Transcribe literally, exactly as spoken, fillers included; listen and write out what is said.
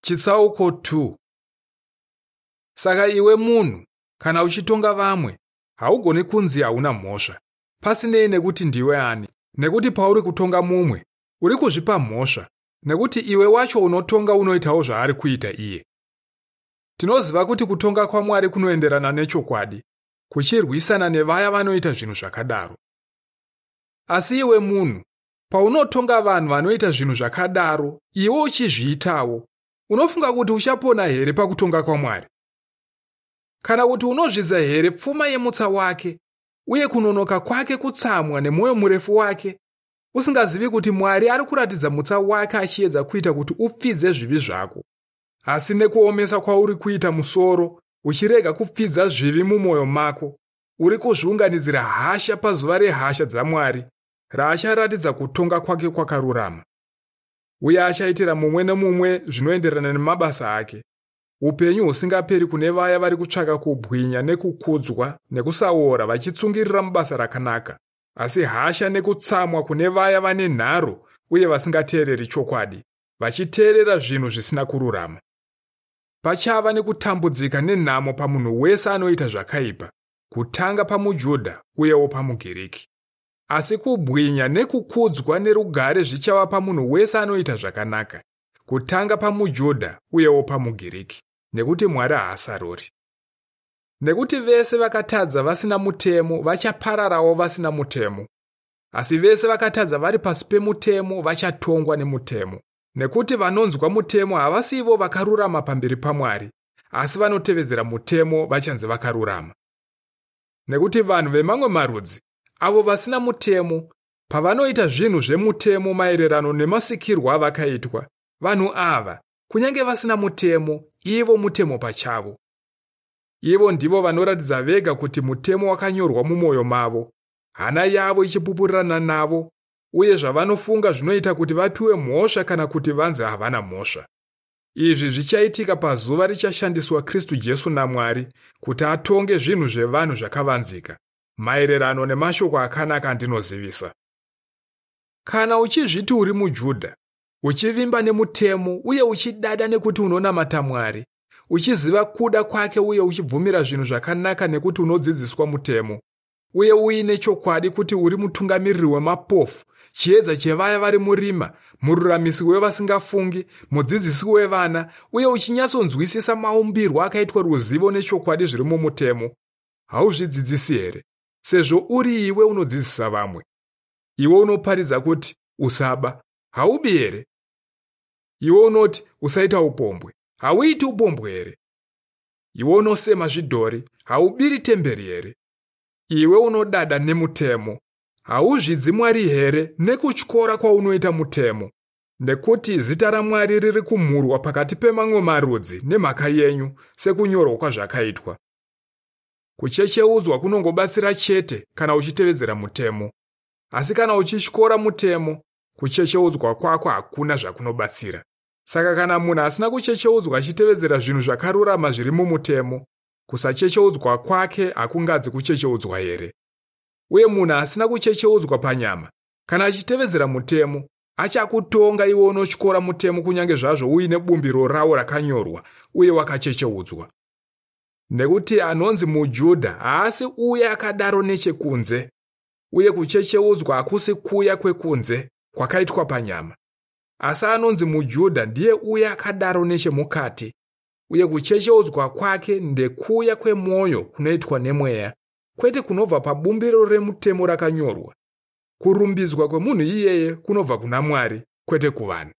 Chitsauko two. Saka iwe munhu, kana uchitonga vamwe, haugoni kunzi hauna mhosva, pasinei nekuti ndiwe ani, nekuti pauri kutonga mumwe, uri kuzvipa mhosva, nekuti iwe wacho unotonga unoitawo zvaari kuita iye. Tinoziva kuti kutonga kwaMwari kunoenderana nechokwadi, kuchirwisana nevaya vanoita zvinhu zvakadaro. Asi iwe munhu, paunotonga vanhu vanoita zvinhu zvakadaro, iwe uchizviitawo, unofunga kuti uchapona here pakutonga kwaMwari? Kana kuti unozvidza here pfuma yemutsa wake, uye kunonoka kwake kutsamwa nemwoyo murefu wake, usingazivi kuti Mwari ari kuratidza mutsa wake achiedza kuita kuti upfidze zvivi zvako? Asi nekuomesa kwauri kuita musoro, uchirega kupfidza zvivi mumwoyo mako, uri kuzviunganidzira hasha pazuva rehasha dzaMwari, raacharatidza kutonga kwake kwakarurama. Uye achaitira mumwe nemumwe zvinoenderana nemabasa ake. Upenyu husingaperi kune vaya vari kutsvaka kubwinya nekukudzwa nekusaora vachitsungirira mubasa rakanaka, asi hasha nekutsamwa kune vaya vane nharo uye vasingateereri chokwadi, vachiteerera zvinhu zvisina kururama. Pachava nekutambudzika nenhamo pamunhu wese anoita zvakaipa, kutanga pamuJudha uyewo pamuGiriki. Asi kubwinya nekukudzwa nerugare zvichava pamunhu wese anoita zvakanaka, kutanga pamuJudha uyewo pamuGiriki, nekuti Mwari haasaruri. Nekuti vese vakatadza vasina mutemo vachapararawo vasina mutemo, asi vese vakatadza vari pasi pemutemo vachatongwa nemutemo. Nekuti vanonzwa mutemo havasivo vakarurama pamberi paMwari, asi vanotevedzera mutemo vachanzi vakarurama. Nekuti vanhu vemamwe marudzi, avo vasina mutemo, pavanoita zvinhu zvemutemo maererano nemasikirwo avakaitwa, vanhu ava, kunyange vasina mutemo, ivo mutemo pachavo. Ivo ndivo vanoratidza vega kuti mutemo wakanyorwa mumwoyo mavo, hana yavo ichipupurirana navo, uye zvavanofunga zvinoita kuti vapiwe mhosva kana kuti vanzi havana mhosva. Izvi zvichaitika pazuva richashandiswa Kristu Jesu naMwari kuti atonge zvinhu zvevanhu zvakavanzika, maererano nemashoko akanaka andinozivisa. Kana uchizviti uri muJudha, uchivimba nemutemo uye uchidada nekuti unonamata Mwari, uchiziva kuda kwake uye uchibvumira zvinhu zvakanaka nekuti unodzidziswa mutemo, uye uine chokwadi kuti uri mutungamiriri wemapofu, chiedza chevaya vari murima, mururamisi wevasingafungi, mudzidzisi wevana, uye uchinyatsonzwisisa maumbirwo akaitwa ruzivo nechokwadi zviri mumutemo, hauzvidzidzisi here, sezvo uri iwe unodzidzisa vamwe? Iwe unoparidza kuti usaba, haubi here? Iwe unoti usaita upombwe, hauiti upombwe here? Iwe unosema zvidhori, haubiri temberi here? Iwe unodada nemutemo, hauzvidzi Mwari here nekutyora kwaunoita mutemo? Nekuti zita raMwari riri kumhurwa pakati pemamwe marudzi nemhaka yenyu, sekunyorwa kwazvakaitwa. Kuchecheudzwa kunongobatsira chete kana uchitevedzera mutemo, asi kana uchityora mutemo, kuchecheudzwa kwako hakuna zvakunobatsira. Saka kana munhu asina kuchecheudzwa achitevedzera zvinhu zvakarurama zviri mumutemo, kusachecheudzwa kwake hakungadzi kuchecheudzwa here? Uye munhu asina kuchecheudzwa panyama, kana achitevedzera mutemo, achakutonga iwe unotyora mutemo kunyange zvazvo uine bumbiro rawo rakanyorwa uye wakachecheudzwa. Nekuti anonzi muJudha haasi uye akadaro nechekunze, uye kuchecheudzwa hakusi kuya kwekunze kwakaitwa panyama. Asi anonzi muJudha ndiye uye akadaro nechemukati, uye kuchecheudzwa kwake ndekuya kwemwoyo kunoitwa nemweya, kwete kunobva pabumbiro remutemo rakanyorwa. Kurumbidzwa kwemunhu iyeye kunobva kuna Mwari, kwete kuvanhu.